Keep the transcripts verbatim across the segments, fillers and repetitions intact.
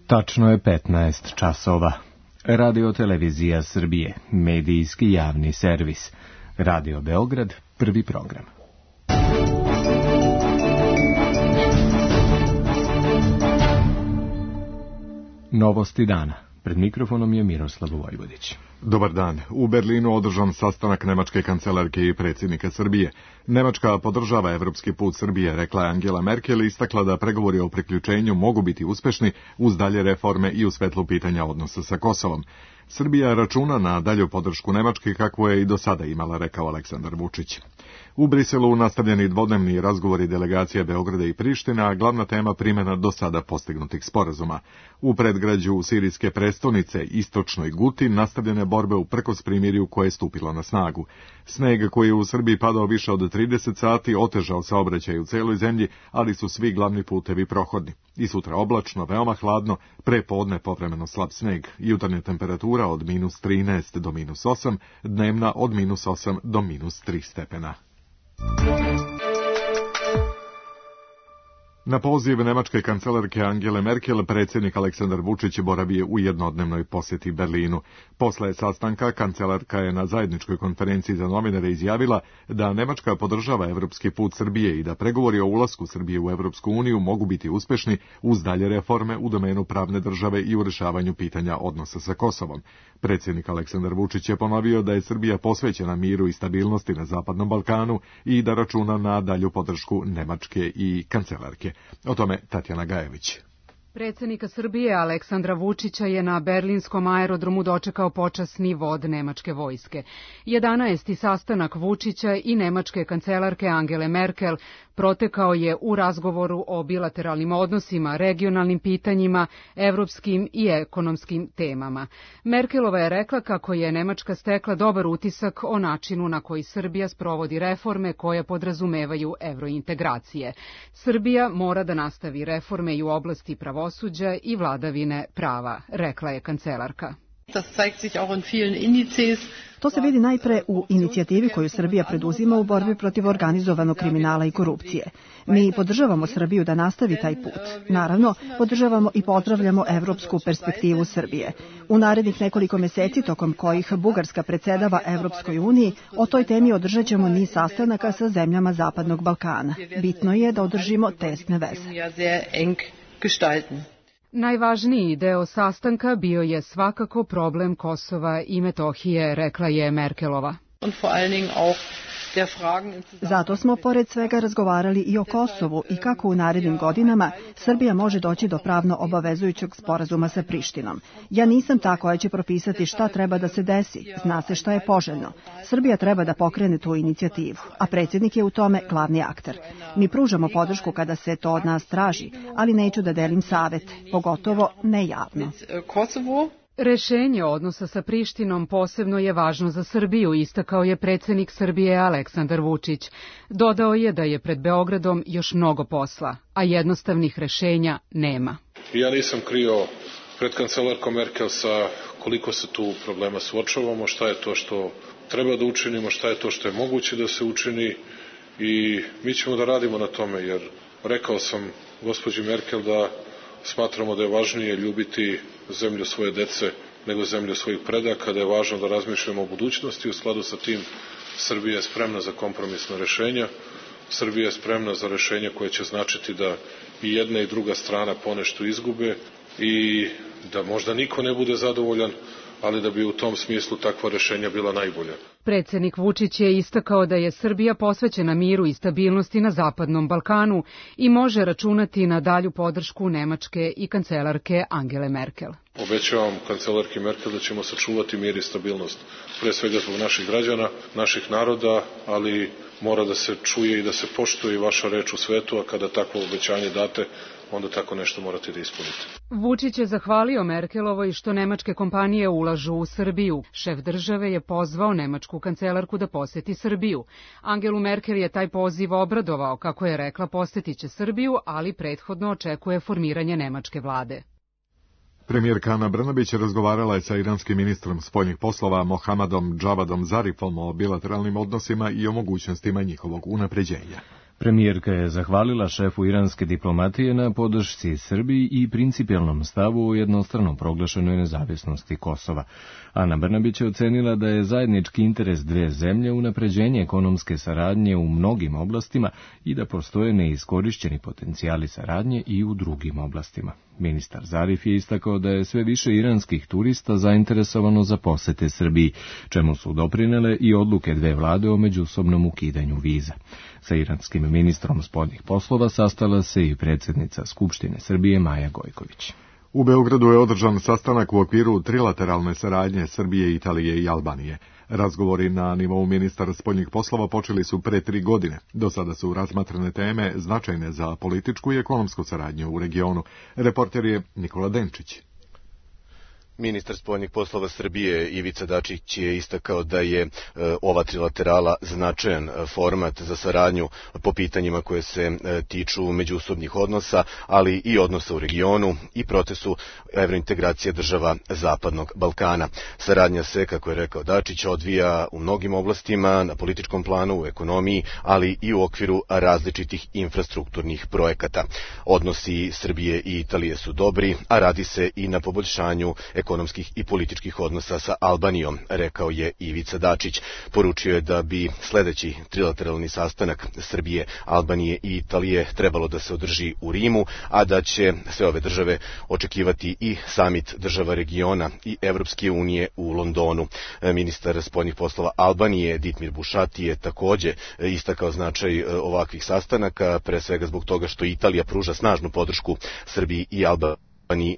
Tačno je petnaest časova. Radio Televizija Srbije, medijski javni servis. Radio Beograd, prvi program. Novosti dana. Pred mikrofonom je Miroslav Vojvodić. Dobar dan. U Berlinu održan sastanak nemačke kancelarke i predsjednika Srbije. Nemačka podržava evropski put Srbije, rekla je Angela Merkel, i istakla da pregovori o priključenju mogu biti uspešni uz dalje reforme i u svetlu pitanja odnosa sa Kosovom. Srbija računa na dalju podršku Nemačke kakvu je i do sada imala, rekao Aleksandar Vučić. U Briselu nastavljeni dvodnevni razgovori delegacija Beograda i Priština, glavna tema primjena do sada postignutih sporazuma. U predgrađu sirijske prestonice, istočnoj Guti, nastavljene borbe uprkos primirju koje je stupilo na snagu. Sneg koji je u Srbiji padao više od trideset sati otežao saobraćaj u celoj zemlji, ali su svi glavni putevi prohodni. I sutra oblačno, veoma hladno, pre podne povremeno slab sneg, jutarnja temperatura od minus trinaest do minus osam, dnevna od minus osam do minus tri stepena. Na poziv nemačke kancelarke Angele Merkel, predsjednik Aleksandar Vučić boravio u jednodnevnoj posjeti Berlinu. Posle sastanka, kancelarka je na zajedničkoj konferenciji za novinare izjavila da Nemačka podržava evropski put Srbije i da pregovori o ulasku Srbije u Evropsku uniju mogu biti uspešni uz dalje reforme u domenu pravne države i u rešavanju pitanja odnosa sa Kosovom. Predsjednik Aleksandar Vučić je ponovio da je Srbija posvećena miru i stabilnosti na Zapadnom Balkanu i da računa na dalju podršku Nemačke i kancelarke. O tome Tatjana Gajević. Predsjednika Srbije Aleksandra Vučića je na berlinskom aerodromu dočekao počasni vod nemačke vojske. jedanaesti sastanak Vučića i nemačke kancelarke Angele Merkel protekao je u razgovoru o bilateralnim odnosima, regionalnim pitanjima, evropskim i ekonomskim temama. Merkelova je rekla kako je Nemačka stekla dobar utisak o načinu na koji Srbija sprovodi reforme koje podrazumevaju evrointegracije. Srbija mora da nastavi reforme i u oblasti pravosuđa i vladavine prava, rekla je kancelarka. To se vidi najpre u inicijativi koju Srbija preduzima u borbi protiv organizovanog kriminala i korupcije. Mi podržavamo Srbiju da nastavi taj put. Naravno, podržavamo i pozdravljamo evropsku perspektivu Srbije. U narednih nekoliko meseci, tokom kojih Bugarska predsedava Evropskoj uniji, o toj temi održat ćemo niz sastanaka sa zemljama Zapadnog Balkana. Bitno je da održimo tesne veze. Najvažniji deo sastanka bio je svakako problem Kosova i Metohije, rekla je Merkelova. Zato smo pored svega razgovarali i o Kosovu i kako u narednim godinama Srbija može doći do pravno obavezujućeg sporazuma sa Prištinom. Ja nisam ta koja će propisati šta treba da se desi, zna se šta je poželjno. Srbija treba da pokrene tu inicijativu, a predsjednik je u tome glavni akter. Mi pružamo podršku kada se to od nas traži, ali neću da delim savete, pogotovo ne javno. Rešenje odnosa sa Prištinom posebno je važno za Srbiju, istakao je predsjednik Srbije Aleksandar Vučić. Dodao je da je pred Beogradom još mnogo posla, a jednostavnih rešenja nema. Ja nisam krio pred kancelarkom Merkel sa koliko se tu problema suočavamo, šta je to što treba da učinimo, šta je to što je moguće da se učini i mi ćemo da radimo na tome, jer rekao sam gospođi Merkel da smatramo da je važnije ljubiti zemlju svoje dece nego zemlju svojih predaka, da je važno da razmišljamo o budućnosti. U skladu sa tim Srbija je spremna za kompromisna rešenja, Srbija je spremna za rešenja koje će značiti da i jedna i druga strana ponešto izgube i da možda niko ne bude zadovoljan, ali da bi u tom smislu takva rešenja bila najbolja. Predsjednik Vučić je istakao da je Srbija posvećena miru i stabilnosti na Zapadnom Balkanu i može računati na dalju podršku Nemačke i kancelarke Angele Merkel. Obećavam kancelarki Merkel da ćemo sačuvati mir i stabilnost, pre svega zbog naših građana, naših naroda, ali mora da se čuje i da se poštuje i vaša reč u svetu, a kada takvo obećanje date, onda tako nešto morate da ispunite. Vučić je zahvalio Merkelovoj što nemačke kompanije ulažu u Srbiju. Šef države je pozvao nemačku kancelarku da poseti Srbiju. Angelu Merkel je taj poziv obradovao, kako je rekla, posjetit će Srbiju, ali prethodno očekuje formiranje nemačke vlade. Premijerka Ana Brnabić razgovarala je sa iranskim ministrom spoljnih poslova Mohammadom Javadom Zarifom o bilateralnim odnosima i o mogućnostima njihovog unapređenja. Premijerka je zahvalila šefu iranske diplomatije na podršci Srbiji i principijelnom stavu o jednostrano proglašenoj nezavisnosti Kosova. Ana Brnabić je ocenila da je zajednički interes dve zemlje unapređenje ekonomske saradnje u mnogim oblastima i da postoje neiskorišćeni potencijali saradnje i u drugim oblastima. Ministar Zarif je istakao da je sve više iranskih turista zainteresovano za posete Srbiji, čemu su doprinele i odluke dve vlade o međusobnom ukidanju viza. Sa iranskim ministrom spoljnih poslova sastala se i predsjednica Skupštine Srbije Maja Gojković. U Beogradu je održan sastanak u okviru trilateralne saradnje Srbije, Italije i Albanije. Razgovori na nivou ministara spoljnih poslova počeli su pre tri godine. Do sada su razmatrane teme značajne za političku i ekonomsku saradnju u regionu. Reporter je Nikola Denčić. Ministar spoljnih poslova Srbije Ivica Dačić je istakao da je e, ova trilaterala značajan format za saradnju po pitanjima koje se e, tiču međusobnih odnosa, ali i odnosa u regionu i procesu evrointegracije država Zapadnog Balkana. Saradnja se, kako je rekao Dačić, odvija u mnogim oblastima, na političkom planu, u ekonomiji, ali i u okviru različitih infrastrukturnih projekata. Odnosi Srbije i Italije su dobri, a radi se i na poboljšanju ekonomskih i političkih odnosa sa Albanijom, rekao je Ivica Dačić. Poručio je da bi sledeći trilateralni sastanak Srbije, Albanije i Italije trebalo da se održi u Rimu, a da će sve ove države očekivati i samit država regiona i Evropske unije u Londonu. Ministar spoljnih poslova Albanije Ditmir Bušati je takođe istakao značaj ovakvih sastanaka, pre svega zbog toga što Italija pruža snažnu podršku Srbiji i Albaniji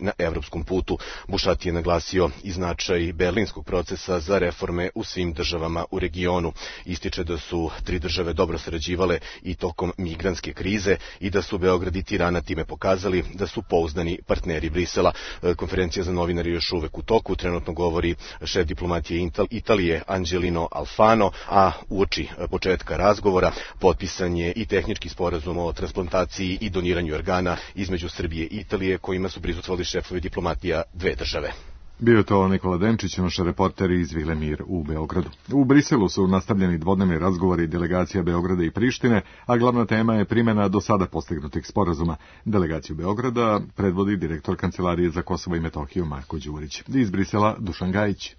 na evropskom putu. Bušati je naglasio i značaj berlinskog procesa za reforme u svim državama u regionu. Ističe da su tri države dobro sarađivale i tokom migrantske krize i da su Beograd i Tirana time pokazali da su pouzdani partneri Brisela. Konferencija za novinare još uvek u toku, trenutno govori šef diplomatije Italije Angelino Alfano, a uoči početka razgovora potpisan je i tehnički sporazum o transplantaciji i doniranju organa između Srbije i Italije, kojima su prisustvovali šefovi diplomatija dve države. Bio je to Nikola Denčić, naš reporter iz Vile Mir u Beogradu. U Briselu su nastavljeni dvodnevni razgovori delegacija Beograda i Prištine, a glavna tema je primjena do sada postignutih sporazuma. Delegaciju Beograda predvodi direktor Kancelarije za Kosovo i Metohiju Marko Đurić. Iz Brisela Dušan Gajić.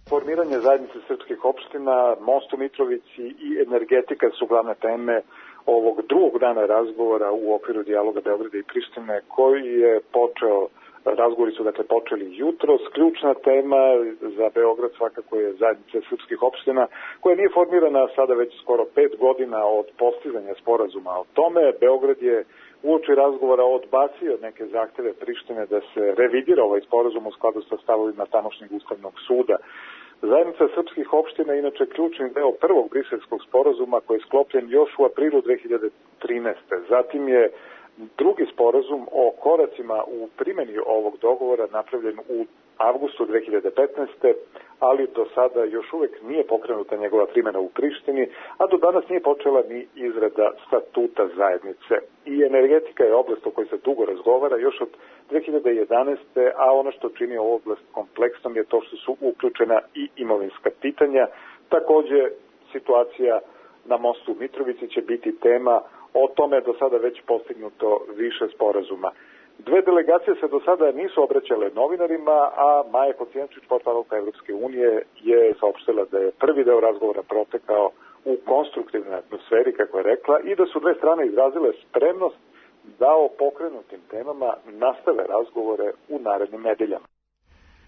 Formiranje zajednice srpskih opština, most u Mitrovici i energetika su glavne teme ovog drugog dana razgovora u okviru dijaloga Beograda i Prištine, koji je počeo, razgovori su dakle počeli jutros. Ključna tema za Beograd svakako je zajednica srpskih opština, koja nije formirana sada već skoro pet godina od postizanja sporazuma o tome. Beograd je uoči razgovora odbacio neke zahteve Prištine da se revidira ovaj sporazum u skladu sa stavovima tamošnjeg ustavnog suda. Zajednica srpskih opština je inače ključni deo prvog briselskog sporazuma koji je sklopljen još u aprilu dve hiljade trinaeste. Zatim je drugi sporazum o koracima u primjeni ovog dogovora napravljen u avgustu dve hiljade petnaeste. ali do sada još uvek nije pokrenuta njegova primjena u Prištini, a do danas nije počela ni izrada statuta zajednice. I energetika je oblast o kojoj se dugo razgovara još od dve hiljade jedanaeste. a ono što čini ovu oblast kompleksnom je to što su uključena i imovinska pitanja. Takođe, situacija na mostu u Mitrovici će biti tema, o tome je do sada već postignuto više sporazuma. Dve delegacije se do sada nisu obraćale novinarima, a Maja Kocijančić, portparolka Evropske unije, je saopštila da je prvi deo razgovora protekao u konstruktivnoj atmosferi, kako je rekla, i da su dve strane izrazile spremnost da o pokrenutim temama nastave razgovore u narednim nedeljama.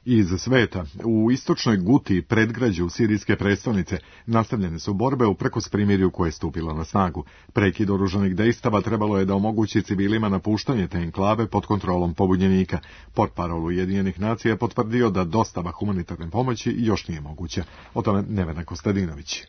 Iz sveta, u istočnoj Guti, predgrađu sirijske prestonice, nastavljene su borbe uprkos primirju koje je stupilo na snagu. Prekid oružanih dejstava trebalo je da omogući civilima napuštanje te enklave pod kontrolom pobunjenika. Portparol Ujedinjenih nacija je potvrdio da dostava humanitarne pomoći još nije moguća. O tome Nevena Kostadinović.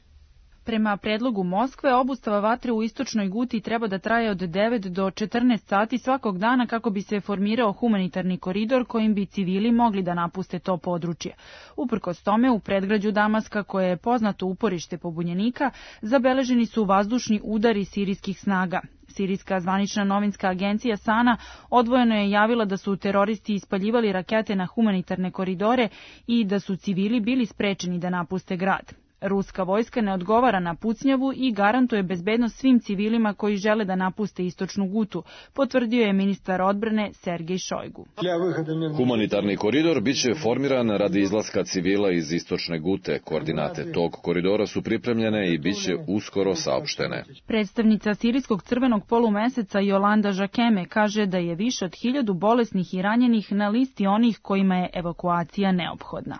Prema predlogu Moskve, obustava vatre u istočnoj Guti treba da traje od devet do četrnaest sati svakog dana kako bi se formirao humanitarni koridor kojim bi civili mogli da napuste to područje. Uprkos tome, u predgrađu Damaska, koje je poznato uporište pobunjenika, zabeleženi su vazdušni udari sirijskih snaga. Sirijska zvanična novinska agencija Sana odvojeno je javila da su teroristi ispaljivali rakete na humanitarne koridore i da su civili bili sprečeni da napuste grad. Ruska vojska ne odgovara na pucnjavu i garantuje bezbednost svim civilima koji žele da napuste istočnu Gutu, potvrdio je ministar odbrane Sergej Šojgu. Humanitarni koridor biće formiran radi izlaska civila iz istočne Gute. Koordinate tog koridora su pripremljene i biće uskoro saopštene. Predstavnica Sirijskog crvenog polumeseca Jolanda Žakeme kaže da je više od hiljadu bolesnih i ranjenih na listi onih kojima je evakuacija neophodna.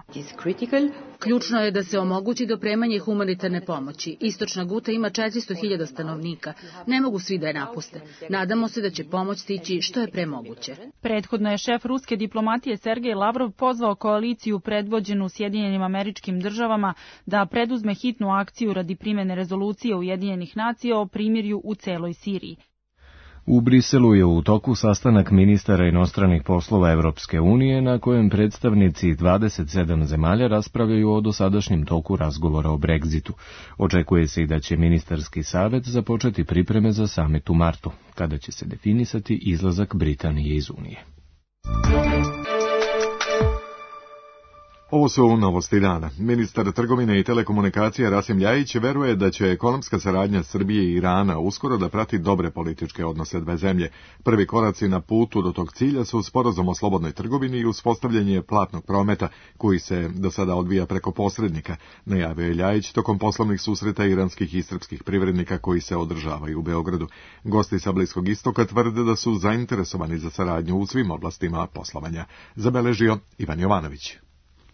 Ključno je da se omogući dopremanje humanitarne pomoći. Istočna Guta ima četiristo hiljada stanovnika. Ne mogu svi da je napuste. Nadamo se da će pomoć stići što je pre moguće. Prethodno je šef ruske diplomatije Sergej Lavrov pozvao koaliciju predvođenu Sjedinjenim Američkim Državama da preduzme hitnu akciju radi primene rezolucije Ujedinjenih nacija o primirju u celoj Siriji. U Briselu je u toku sastanak ministara inostranih poslova Evropske unije na kojem predstavnici dvadeset sedam zemalja raspravljaju o dosadašnjem toku razgovora o Brexitu. Očekuje se i da će ministarski savet započeti pripreme za samit u martu, kada će se definisati izlazak Britanije iz Unije. Ovo su novosti dana. Ministar trgovine i telekomunikacija Rasim Ljajić veruje da će ekonomska saradnja Srbije i Irana uskoro da prati dobre političke odnose dve zemlje. Prvi koraci na putu do tog cilja su sporazum o slobodnoj trgovini i uspostavljanje platnog prometa, koji se do sada odvija preko posrednika, najavio je Ljajić tokom poslovnih susreta iranskih i srpskih privrednika koji se održavaju u Beogradu. Gosti sa Bliskog istoka tvrde da su zainteresovani za saradnju u svim oblastima poslovanja. Zabeležio Ivan Jovanović.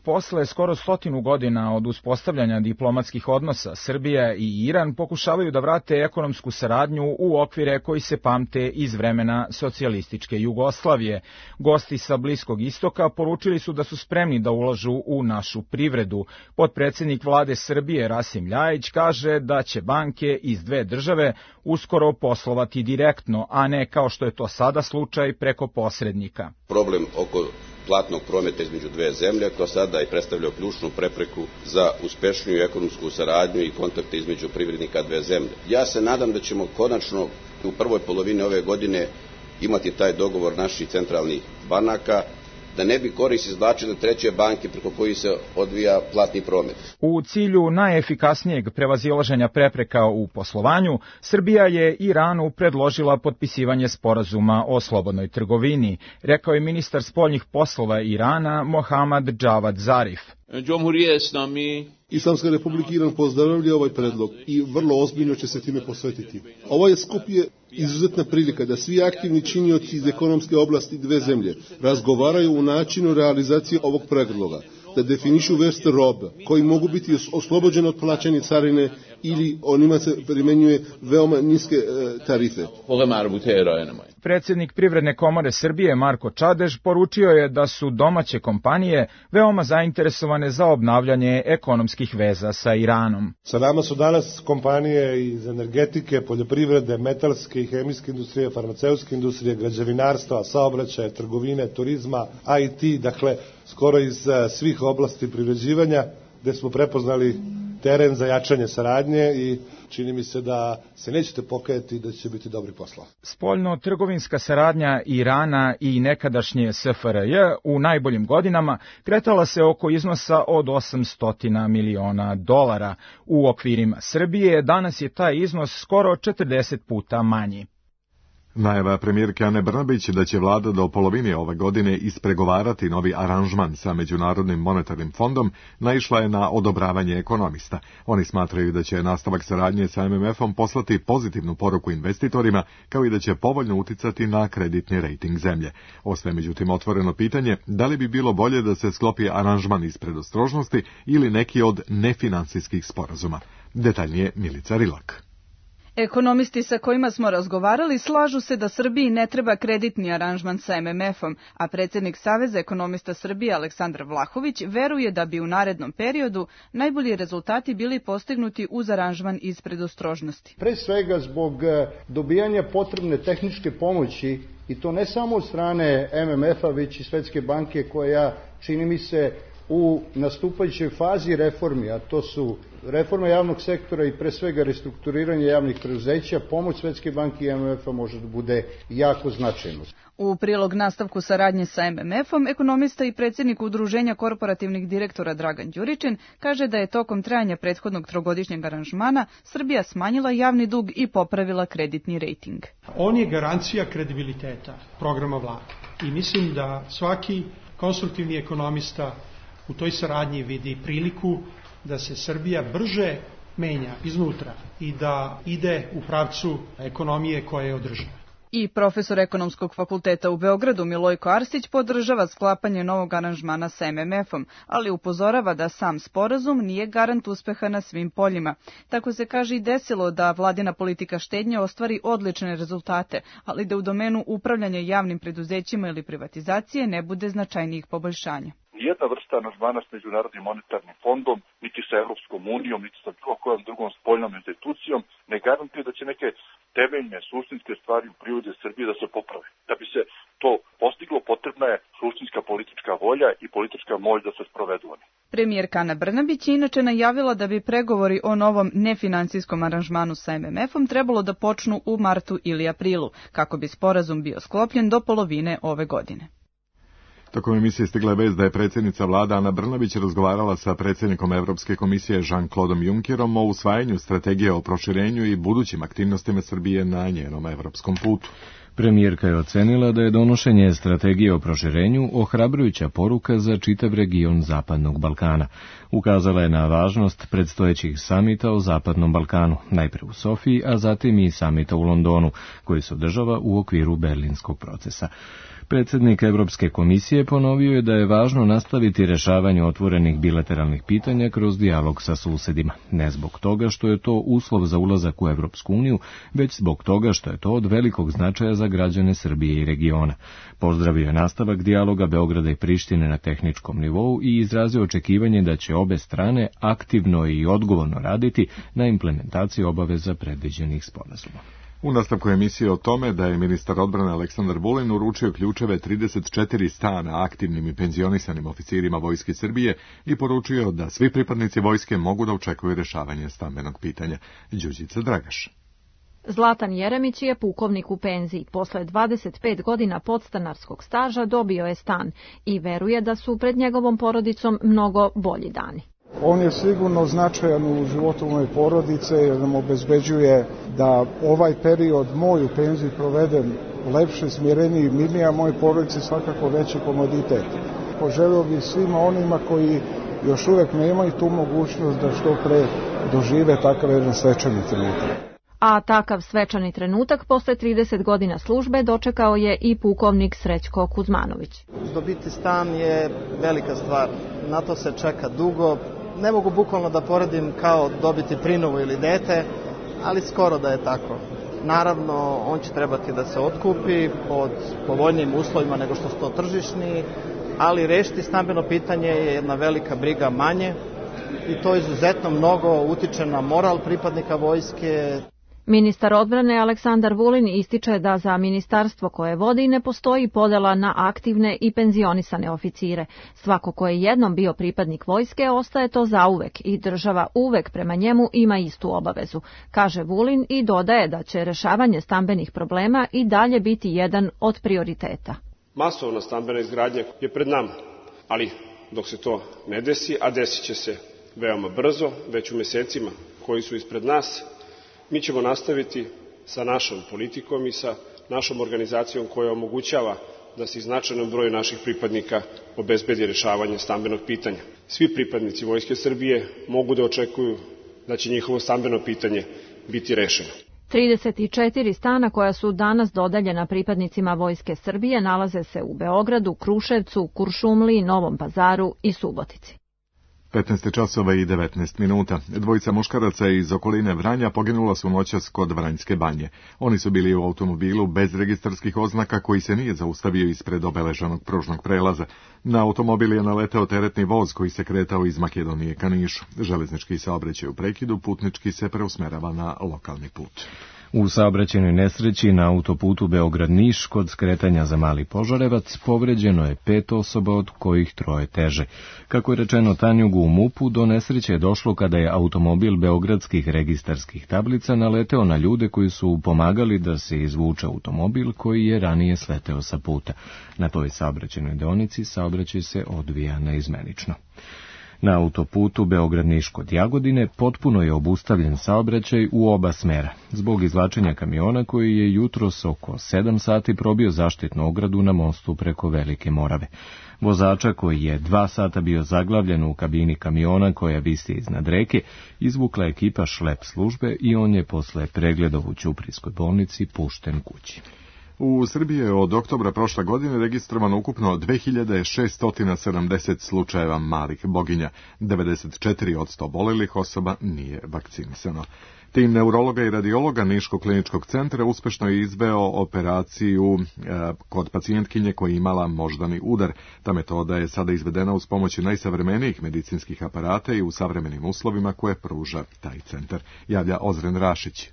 Posle skoro stotinu godina od uspostavljanja diplomatskih odnosa, Srbija i Iran pokušavaju da vrate ekonomsku saradnju u okvire koji se pamte iz vremena socijalističke Jugoslavije. Gosti sa Bliskog istoka poručili su da su spremni da ulažu u našu privredu. Potpredsednik vlade Srbije Rasim Ljajić kaže da će banke iz dve države uskoro poslovati direktno, a ne kao što je to sada slučaj preko posrednika. Problem oko platnog prometa između dve zemlje, to sada i predstavlja ključnu prepreku za uspešniju ekonomsku saradnju i kontakte između privrednika dve zemlje. Ja se nadam da ćemo konačno u prvoj polovini ove godine imati taj dogovor naših centralnih banaka, da ne bi korist izvlačile treće banke preko kojih se odvija platni promet. U cilju najefikasnijeg prevazilaženja prepreka u poslovanju, Srbija je Iranu predložila potpisivanje sporazuma o slobodnoj trgovini, rekao je ministar spoljnih poslova Irana Mohammad Javad Zarif. Islamska republika Iran pozdravlja ovaj predlog i vrlo ozbiljno će se time posvetiti. Ovaj skup je izuzetna prilika da svi aktivni činioci iz ekonomske oblasti dve zemlje razgovaraju u načinu realizacije ovog predloga, da definišu vrste robe koji mogu biti oslobođene od plaćanja carine ili onima se primenjuje veoma niske e, tarife. Predsednik Privredne komore Srbije Marko Čadež poručio je da su domaće kompanije veoma zainteresovane za obnavljanje ekonomskih veza sa Iranom. Sa nama su danas kompanije iz energetike, poljoprivrede, metalske i hemijske industrije, farmaceutske industrije, građevinarstva, saobraćaja, trgovine, turizma, I T, dakle skoro iz svih oblasti privređivanja, gde smo prepoznali teren za jačanje saradnje i čini mi se da se nećete pokajati da će biti dobri posla. Spoljno-trgovinska saradnja Irana i nekadašnje S F R J u najboljim godinama kretala se oko iznosa od osamsto miliona dolara. U okvirima Srbije danas je taj iznos skoro četrdeset puta manji. Najava premijerke Ane Brnabić da će vlada do polovine ove godine ispregovarati novi aranžman sa Međunarodnim monetarnim fondom naišla je na odobravanje ekonomista. Oni smatraju da će nastavak saradnje sa M M F-om poslati pozitivnu poruku investitorima, kao i da će povoljno uticati na kreditni rejting zemlje. Ostaje međutim otvoreno pitanje da li bi bilo bolje da se sklopi aranžman iz predostrožnosti ili neki od nefinansijskih sporazuma. Detaljnije Milica Rilak. Ekonomisti sa kojima smo razgovarali slažu se da Srbiji ne treba kreditni aranžman sa M M F-om, a predsjednik Saveza ekonomista Srbije Aleksandar Vlahović veruje da bi u narednom periodu najbolji rezultati bili postignuti uz aranžman iz predostrožnosti. Pre svega zbog dobijanja potrebne tehničke pomoći, i to ne samo od strane M M F-a, već i Svetske banke koja, čini mi se, u nastupajućoj fazi reformi, a to su reforma javnog sektora i pre svega restrukturiranje javnih preduzeća, pomoć Svetske banke i M M F-a može da bude jako značajno. U prilog nastavku saradnje sa M M F-om, ekonomista i predsjednik Udruženja korporativnih direktora Dragan Đuričin kaže da je tokom trajanja prethodnog trogodišnjeg aranžmana Srbija smanjila javni dug i popravila kreditni rejting. On je garancija kredibiliteta programa vlade i mislim da svaki konstruktivni ekonomista u toj saradnji vidi priliku da se Srbija brže menja iznutra i da ide u pravcu ekonomije koja je održiva. I profesor ekonomskog fakulteta u Beogradu Milojko Arsić podržava sklapanje novog aranžmana sa M M F-om, ali upozorava da sam sporazum nije garant uspeha na svim poljima. Tako se kaže i desilo da vladina politika štednje ostvari odlične rezultate, ali da u domenu upravljanja javnim preduzećima ili privatizacije ne bude značajnijih poboljšanja. Nijedna vrsta aranžmana s Međunarodnim monetarnim fondom, niti sa Evropskom unijom, niti sa bilo kojom drugom spoljnom institucijom ne garantuje da će neke temeljne, suštinske stvari u prirodi Srbije da se poprave. Da bi se to postiglo, potrebna je suštinska politička volja i politička moć da se sprovedu oni. Premijerka Ana Brnabić je inače najavila da bi pregovori o novom nefinансijskom aranžmanu sa M M F-om trebalo da počnu u martu ili aprilu, kako bi sporazum bio sklopljen do polovine ove godine. Tokom emisije stigla je vest da je predsjednica vlada Ana Brnabić razgovarala sa predsjednikom Evropske komisije Jean-Claude Junckerom o usvajanju strategije o proširenju i budućim aktivnostima Srbije na njenom evropskom putu. Premijerka je ocenila da je donošenje strategije o proširenju ohrabrujuća poruka za čitav region Zapadnog Balkana. Ukazala je na važnost predstojećih samita o Zapadnom Balkanu, najpre u Sofiji, a zatim i samita u Londonu, koji se održava u okviru berlinskog procesa. Predsjednik Evropske komisije ponovio je da je važno nastaviti rešavanje otvorenih bilateralnih pitanja kroz dijalog sa susedima, ne zbog toga što je to uslov za ulazak u Evropsku uniju, već zbog toga što je to od velikog značaja za građane Srbije i regiona. Pozdravio je nastavak dijaloga Beograda i Prištine na tehničkom nivou i izrazio očekivanje da će obe strane aktivno i odgovorno raditi na implementaciji obaveza predviđenih sporazuma. U nastavku emisije o tome da je ministar odbrane Aleksandar Vulin uručio ključeve trideset četiri stana aktivnim i penzionisanim oficirima Vojske Srbije i poručio da svi pripadnici vojske mogu da očekuju rešavanje stambenog pitanja. Đurđica Dragaš. Zlatan Jeremić je pukovnik u penziji. Posle dvadeset pet godina podstanarskog staža dobio je stan i veruje da su pred njegovom porodicom mnogo bolji dani. On je sigurno značajan u životu moje porodice jer nam obezbeđuje da ovaj period moj u penziji provedem lepše, smireniji, mirnije, a moje porodice svakako veći komoditet. Poželio bih svima onima koji još uvek nemaju tu mogućnost da što pre dožive takav jedan svečani trenutak. A takav svečani trenutak posle trideset godina službe dočekao je i pukovnik Srećko Kuzmanović. Dobiti stan je velika stvar, na to se čeka dugo. Ne mogu bukvalno da poredim kao dobiti prinovu ili dete, ali skoro da je tako. Naravno, on će trebati da se otkupi pod povoljnijim uslovima nego što su to tržišni, ali rešiti stambeno pitanje je jedna velika briga manje i to izuzetno mnogo utiče na moral pripadnika vojske. Ministar odbrane Aleksandar Vulin ističe da za ministarstvo koje vodi ne postoji podela na aktivne i penzionisane oficire. Svako ko je jednom bio pripadnik vojske ostaje to zauvek i država uvek prema njemu ima istu obavezu, kaže Vulin i dodaje da će rešavanje stambenih problema i dalje biti jedan od prioriteta. Masovna stambena izgradnja je pred nama, ali dok se to ne desi, a desit će se veoma brzo, već u mesecima koji su ispred nas, mi ćemo nastaviti sa našom politikom i sa našom organizacijom koja omogućava da se značajnom broju naših pripadnika obezbedi rešavanje stambenog pitanja. Svi pripadnici Vojske Srbije mogu da očekuju da će njihovo stambeno pitanje biti rešeno. trideset četiri stana koja su danas dodeljena pripadnicima Vojske Srbije nalaze se u Beogradu, Kruševcu, Kuršumliji, Novom Pazaru i Subotici. petnaest časova i devetnaest minuta. Dvojica muškaraca iz okoline Vranja poginula su noćas kod Vranjske banje. Oni su bili u automobilu bez registarskih oznaka koji se nije zaustavio ispred obeleženog pružnog prelaza. Na automobil je naleteo teretni voz koji se kretao iz Makedonije ka Nišu. Železnički saobraćaj u prekidu, putnički se preusmerava na lokalni put. U saobraćajnoj nesreći na autoputu Beograd-Niš kod skretanja za Mali Požarevac povređeno je pet osoba, od kojih troje teže. Kako je rečeno Tanjugu u MUP-u, do nesreće je došlo kada je automobil beogradskih registarskih tablica naleteo na ljude koji su pomagali da se izvuče automobil koji je ranije sleteo sa puta. Na toj saobraćajnoj deonici saobraćaj se odvija neizmenično. Na autoputu Beograd-Niš kod Jagodine potpuno je obustavljen saobraćaj u oba smera, zbog izvlačenja kamiona koji je jutros oko sedam sati probio zaštitnu ogradu na mostu preko Velike Morave. Vozača, koji je dva sata bio zaglavljen u kabini kamiona koja visi iznad reke, izvukla ekipa šlep službe i on je posle pregleda u ćuprijskoj bolnici pušten kući. U Srbiji je od oktobra prošle godine registrovano ukupno dve hiljade šesto sedamdeset slučajeva malih boginja. devedeset četiri posto obolelih osoba nije vakcinisano. Tim neurologa i radiologa Niškog kliničkog centra uspešno je izveo operaciju e, kod pacijentkinje koja je imala moždani udar. Ta metoda je sada izvedena uz pomoć najsavremenijih medicinskih aparata i u savremenim uslovima koje pruža taj centar, javlja Ozren Rašić.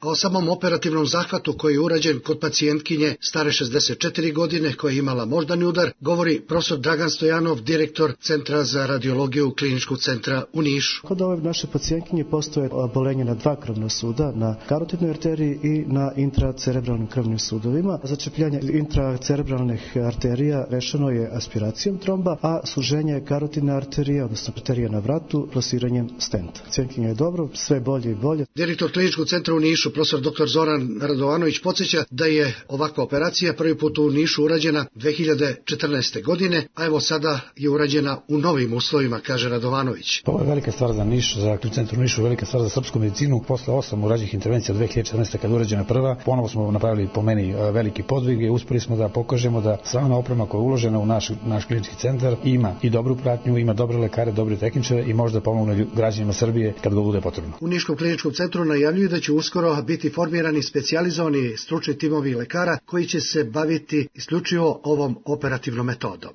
O samom operativnom zahvatu koji je urađen kod pacijentkinje stare šezdeset četiri godine koja je imala moždani udar, govori profesor Dragan Stojanov, direktor Centra za radiologiju Kliničkog centra u Nišu. Kod ove naše pacijentkinje postoje obolenje na dva krvna suda, na karotidnoj arteriji i na intracerebralnim krvnim sudovima. Začepljanje intracerebralnih arterija rešeno je aspiracijom tromba, a suženje karotidne arterije, odnosno arterije na vratu, plasiranjem stenta. Pacijentkinja je dobro, sve bolje i bolje. Direktor Kliničkog centra u Nišu, profesor doktor Zoran Radovanović, podsjeća da je ovakva operacija prvi put u Nišu urađena dve hiljade četrnaeste. godine, a evo sada je urađena u novim uslovima, kaže Radovanović. Ovo je velika stvar za Niš, za Klinički centar u Nišu, velika stvar za srpsku medicinu. Posle osam urađenih intervencija dve hiljade četrnaeste. kada je urađena prva, ponovo smo napravili po meni veliki podvig i uspeli smo da pokažemo da sva ona oprema koja je uložena u naš, naš klinički centar ima i dobru pratnju, ima dobre lekare, dobre tehničare i može da pomogne građanima Srbije kad go bude potrebno. U Niškom kliničkom centru najavljuju da će uskoro biti formirani specijalizovani stručni timovi lekara koji će se baviti isključivo ovom operativnom metodom.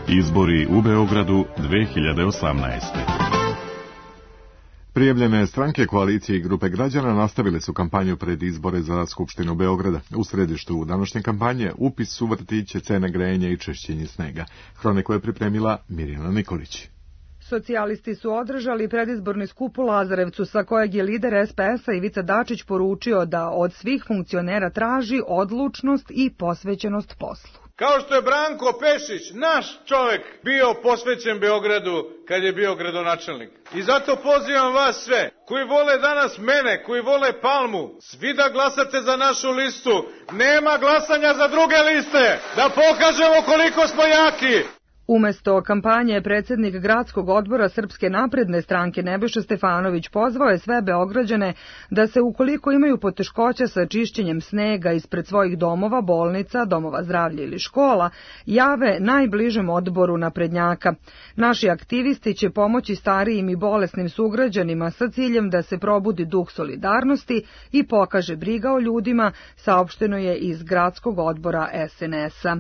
Izbori u Beogradu dve hiljade osamnaeste. Prijavljene stranke, koalicije i grupe građana nastavile su kampanju pred izbore za Skupštinu Beograda. U središtu današnje kampanje upis u vrtiće, cene grejanja i čišćenje snega. Hroniku je pripremila Mirjana Nikolić. Socijalisti su održali predizborni skup u Lazarevcu, sa kojeg je lider es pe es a Ivica Dačić poručio da od svih funkcionera traži odlučnost i posvećenost poslu. Kao što je Branko Pešić, naš čovek, bio posvećen Beogradu kad je bio gradonačelnik. I zato pozivam vas sve, koji vole danas mene, koji vole Palmu, svi da glasate za našu listu. Nema glasanja za druge liste, da pokažemo koliko smo jaki. Umesto kampanje, predsjednik gradskog odbora Srpske napredne stranke Nebojša Stefanović pozvao je sve Beograđane da se, ukoliko imaju poteškoća sa čišćenjem snega ispred svojih domova, bolnica, domova zdravlja ili škola, jave najbližem odboru naprednjaka. Naši aktivisti će pomoći starijim i bolesnim sugrađanima sa ciljem da se probudi duh solidarnosti i pokaže briga o ljudima, saopšteno je iz gradskog odbora es en es a.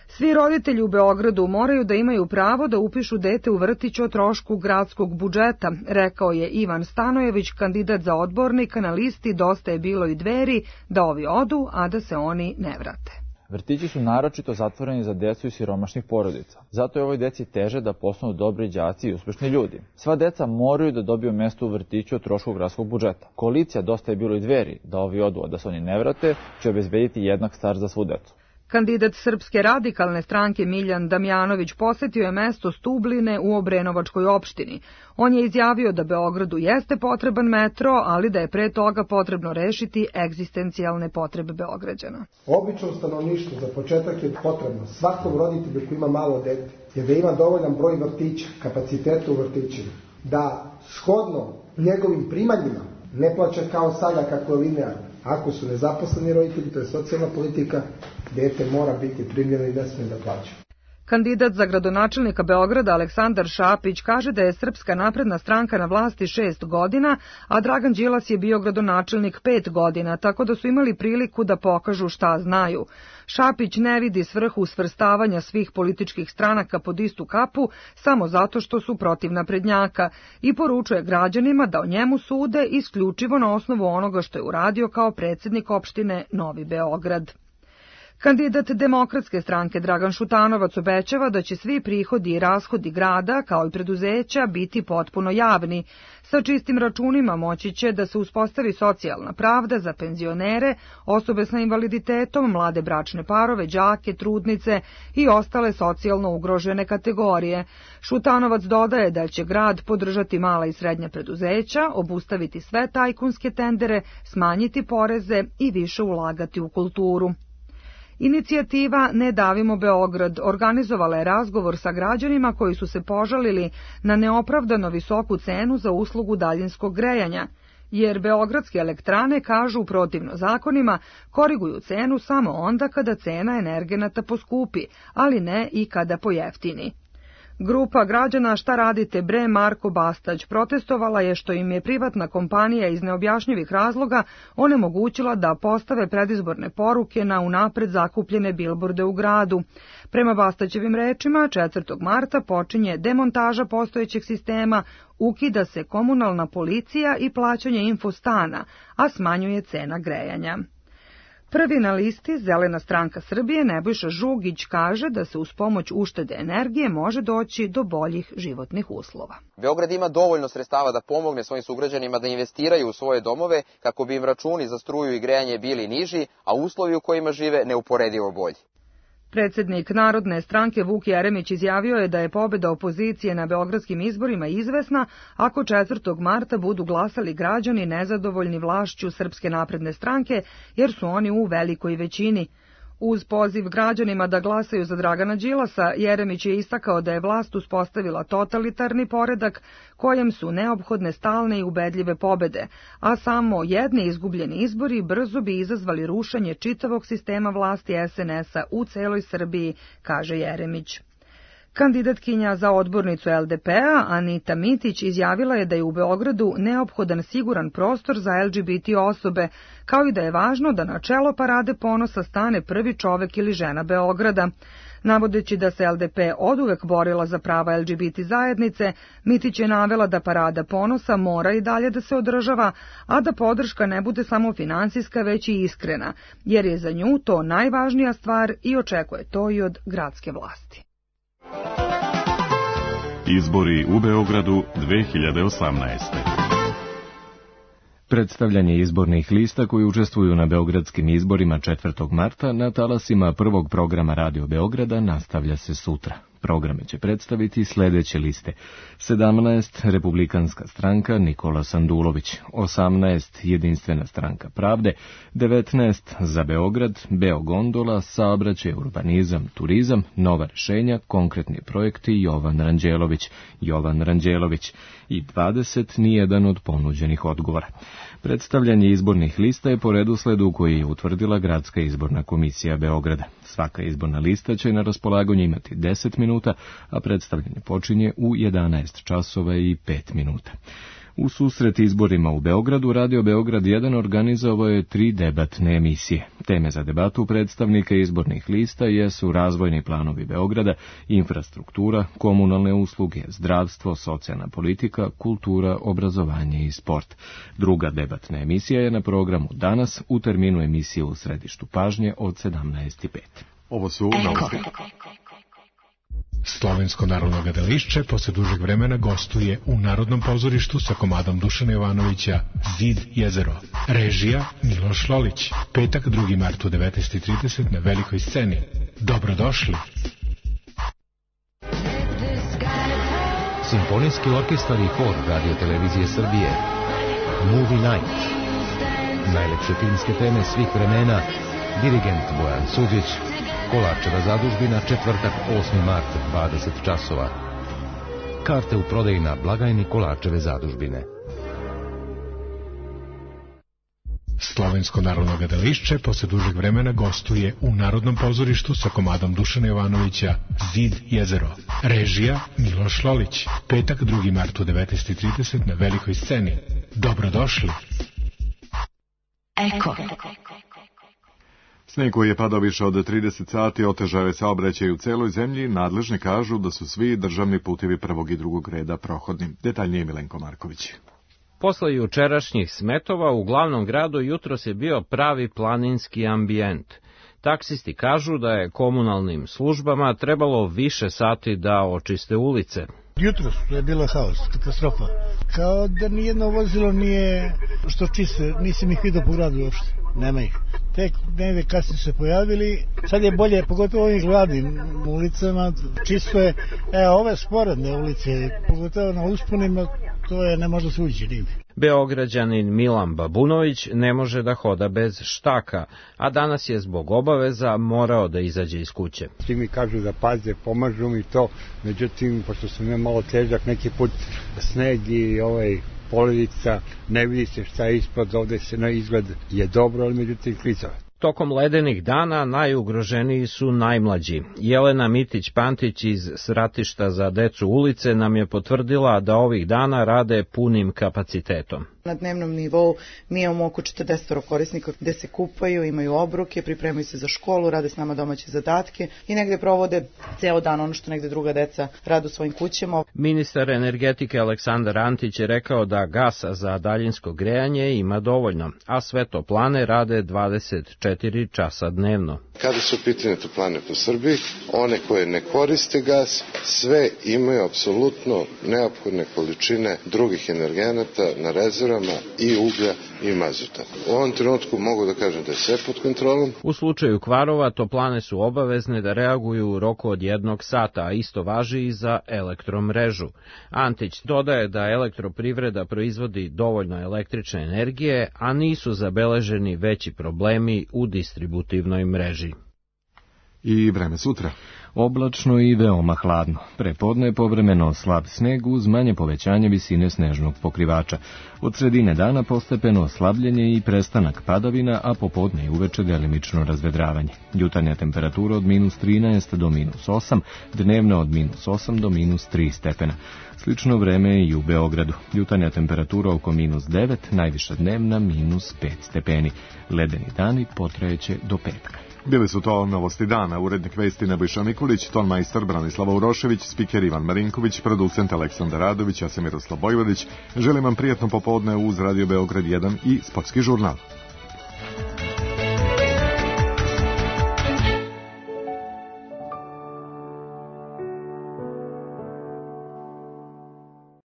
Svi roditelji u Beogradu moraju da imaju pravo da upišu dete u vrtić o trošku gradskog budžeta, rekao je Ivan Stanojević, kandidat za odbornika na listi Dosta je bilo i Dveri, da ovi odu, a da se oni ne vrate. Vrtići su naročito zatvoreni za decu iz siromašnih porodica. Zato je ovoj deci teže da postanu dobri đaci i uspešni ljudi. Sva deca moraju da dobiju mesto u vrtiću o trošku gradskog budžeta. Koalicija Dosta je bilo i Dveri, da ovi odu, a da se oni ne vrate, će obezbediti jednak start za svu decu. Kandidat Srpske radikalne stranke Miljan Damjanović posetio je mesto Stubline u Obrenovačkoj opštini. On je izjavio da Beogradu jeste potreban metro, ali da je pre toga potrebno rešiti egzistencijalne potrebe Beograđana. Obično stanovništvo za početak je potrebno svakom roditelju koji ima malo dete, je da ima dovoljan broj vrtića, kapaciteta u vrtićima, da shodno njegovim primanjima ne plaća kao sada kako je linearno. Ako su nezaposleni roditelji, to je socijalna politika, dete mora biti primljeno i ne smije da plaća. Kandidat za gradonačelnika Beograda Aleksandar Šapić kaže da je Srpska napredna stranka na vlasti šest godina, a Dragan Đilas je bio gradonačelnik pet godina, tako da su imali priliku da pokažu šta znaju. Šapić ne vidi svrhu svrstavanja svih političkih stranaka pod istu kapu samo zato što su protiv naprednjaka i poručuje građanima da o njemu sude isključivo na osnovu onoga što je uradio kao predsjednik opštine Novi Beograd. Kandidat Demokratske stranke Dragan Šutanovac obećava da će svi prihodi i rashodi grada, kao i preduzeća, biti potpuno javni. Sa čistim računima moći će da se uspostavi socijalna pravda za penzionere, osobe sa invaliditetom, mlade bračne parove, đake, trudnice i ostale socijalno ugrožene kategorije. Šutanovac dodaje da će grad podržati mala i srednja preduzeća, obustaviti sve tajkunske tendere, smanjiti poreze i više ulagati u kulturu. Inicijativa Ne davimo Beograd organizovala je razgovor sa građanima koji su se požalili na neopravdano visoku cenu za uslugu daljinskog grejanja, jer beogradske elektrane, kažu protivno zakonima, koriguju cenu samo onda kada cena energenata poskupi, ali ne i kada pojeftini. Grupa građana Šta radite bre Marko Bastać protestovala je što im je privatna kompanija iz neobjašnjivih razloga onemogućila da postave predizborne poruke na unapred zakupljene bilborde u gradu. Prema Bastaćevim rečima, četvrtog marta počinje demontaža postojećeg sistema, ukida se komunalna policija i plaćanje infostana, a smanjuje cena grejanja. Prvi na listi, Zelena stranka Srbije, Nebojša Žugić, kaže da se uz pomoć uštede energije može doći do boljih životnih uslova. Beograd ima dovoljno sredstava da pomogne svojim sugrađanima da investiraju u svoje domove kako bi im računi za struju i grejanje bili niži, a uslovi u kojima žive neuporedivo bolji. Predsjednik Narodne stranke Vuk Jeremić izjavio je da je pobjeda opozicije na beogradskim izborima izvesna ako četvrtog marta budu glasali građani nezadovoljni vlašću Srpske napredne stranke, jer su oni u velikoj većini. Uz poziv građanima da glasaju za Dragana Đilasa, Jeremić je istakao da je vlast uspostavila totalitarni poredak kojem su neophodne stalne i ubedljive pobede, a samo jedni izgubljeni izbori brzo bi izazvali rušenje čitavog sistema vlasti es en es a u celoj Srbiji, kaže Jeremić. Kandidatkinja za odbornicu el de pe-a Anita Mitić izjavila je da je u Beogradu neophodan siguran prostor za el ge be te osobe, kao i da je važno da na čelo Parade ponosa stane prvi čovek ili žena Beograda. Navodeći da se el de pe oduvek borila za prava el ge be te zajednice, Mitić je navela da Parada ponosa mora i dalje da se održava, a da podrška ne bude samo finansijska, već i iskrena, jer je za nju to najvažnija stvar i očekuje to i od gradske vlasti. Izbori u Beogradu dve hiljade osamnaeste. Predstavljanje izbornih lista koji učestvuju na beogradskim izborima četvrtog marta na talasima prvog programa Radio Beograda nastavlja se sutra. Programe će predstaviti sljedeće liste. sedamnaest Republikanska stranka Nikola Sandulović, osamnaest Jedinstvena stranka Pravde, devetnaest Za Beograd, Beogondola, Saobraćaj, urbanizam, turizam, Nova rešenja, konkretni projekti Jovan Ranđelović, Jovan Ranđelović i dvadeset Nijedan od ponuđenih odgovora. Predstavljanje izbornih lista je po redosledu koji je utvrdila Gradska izborna komisija Beograda. Svaka izborna lista će na raspolaganju imati deset minuta, a predstavljanje počinje u jedanaest časova i pet minuta. U susret izborima u Beogradu, Radio Beograd jedan organizovao je tri debatne emisije. Teme za debatu predstavnika izbornih lista jesu razvojni planovi Beograda, infrastruktura, komunalne usluge, zdravstvo, socijalna politika, kultura, obrazovanje i sport. Druga debatna emisija je na programu danas u terminu emisije U središtu pažnje od sedamnaest i pet. Ovo su novosti. Slovensko narodno gledališće posle dužeg vremena gostuje u Narodnom pozorištu sa komadom Dušana Jovanovića Zid jezero. Režija Miloš Lolić. Petak drugi mart u devetnaest i trideset na velikoj sceni. Dobrodošli. Simfonijski orkestar i hor Radio Televizije Srbije. Movie Night. Najlepše filmske teme svih vremena. Dirigent Bojan Suđić. Kolačeva zadužbina, četvrtak osmi mart, dvadeset časova. Karte u prodaji na blagajni Kolačeve zadužbine. Slovensko narodno gledališće posle dužeg vremena gostuje u Narodnom pozorištu sa komadom Dušana Jovanovića Zid jezero. Režija Miloš Lolić. Petak drugi mart u devetnaest i trideset na velikoj sceni. Dobrodošli. Eko. Sneg koji je padao više od trideset sati otežao je saobraćaj u celoj zemlji. Nadležni kažu da su svi državni putevi prvog i drugog reda prohodni. Detaljnije Milenko Marković. Posle jučerašnjih smetova u glavnom gradu jutros je bio pravi planinski ambijent. Taksisti kažu da je komunalnim službama trebalo više sati da očiste ulice. Jutros je bilo haos, katastrofa. Kao da nijedno vozilo nije što čiste, nisam ih vidio po gradu uopšte, nema ih. Tek negde kasnije se pojavili, sad je bolje, pogotovo ovim glavnim ulicama, čisto je, e, ove sporedne ulice, pogotovo na usponima, to je, ne može se ući nigde. Beograđanin Milan Babunović ne može da hoda bez štaka, a danas je zbog obaveza morao da izađe iz kuće. Svi mi kažu da paze, pomažu mi to, međutim, pošto sam ja malo težak, neki put sneg i ovaj poledica, ne vidi se šta je ispod, ovde se na izgled je dobro, ali međutim klizava. Tokom ledenih dana najugroženiji su najmlađi. Jelena Mitić-Pantić iz Sratišta za decu ulice nam je potvrdila da ovih dana rade punim kapacitetom. Na dnevnom nivou mi imamo oko četrdeset korisnika gde se kupaju, imaju obroke, pripremaju se za školu, rade s nama domaće zadatke i negde provode ceo dan ono što negde druga deca rade u svojim kućama. Ministar energetike Aleksandar Antić je rekao da gasa za daljinsko grejanje ima dovoljno, a sve toplane rade dvadeset četiri časa dnevno. Kada su pitanje toplane po Srbiji, one koje ne koriste gas, sve imaju apsolutno neophodne količine drugih energenata na rezervama i uglja i mazuta. U ovom trenutku mogu da kažem da je sve pod kontrolom. U slučaju kvarova toplane su obavezne da reaguju u roku od jednog sata, a isto važi i za elektromrežu. Antić dodaje da elektroprivreda proizvodi dovoljno električne energije, a nisu zabeleženi veći problemi u distributivnoj mreži. I vreme sutra. Oblačno i veoma hladno. Prepodne povremeno slab sneg uz manje povećanje visine snežnog pokrivača. Od sredine dana postepeno oslabljenje i prestanak padavina, a popodne i uveče delimično razvedravanje. Jutarnja temperatura od minus trinaest do minus osam, dnevna od minus osam do minus tri stepena. Slično vreme i u Beogradu. Jutarnja temperatura oko minus devet, najviša dnevna minus pet stepeni. Ledeni dani potrajeće do petka. Bili su to novosti dana, urednik vesti Nebojša Mikulić, tonmajstor Branislava Urošević, spiker Ivan Marinković, producent Aleksandar Radović, ja sam Miroslav Bojvodić. Želim vam prijatno popodne uz Radio Beograd jedan i sportski žurnal.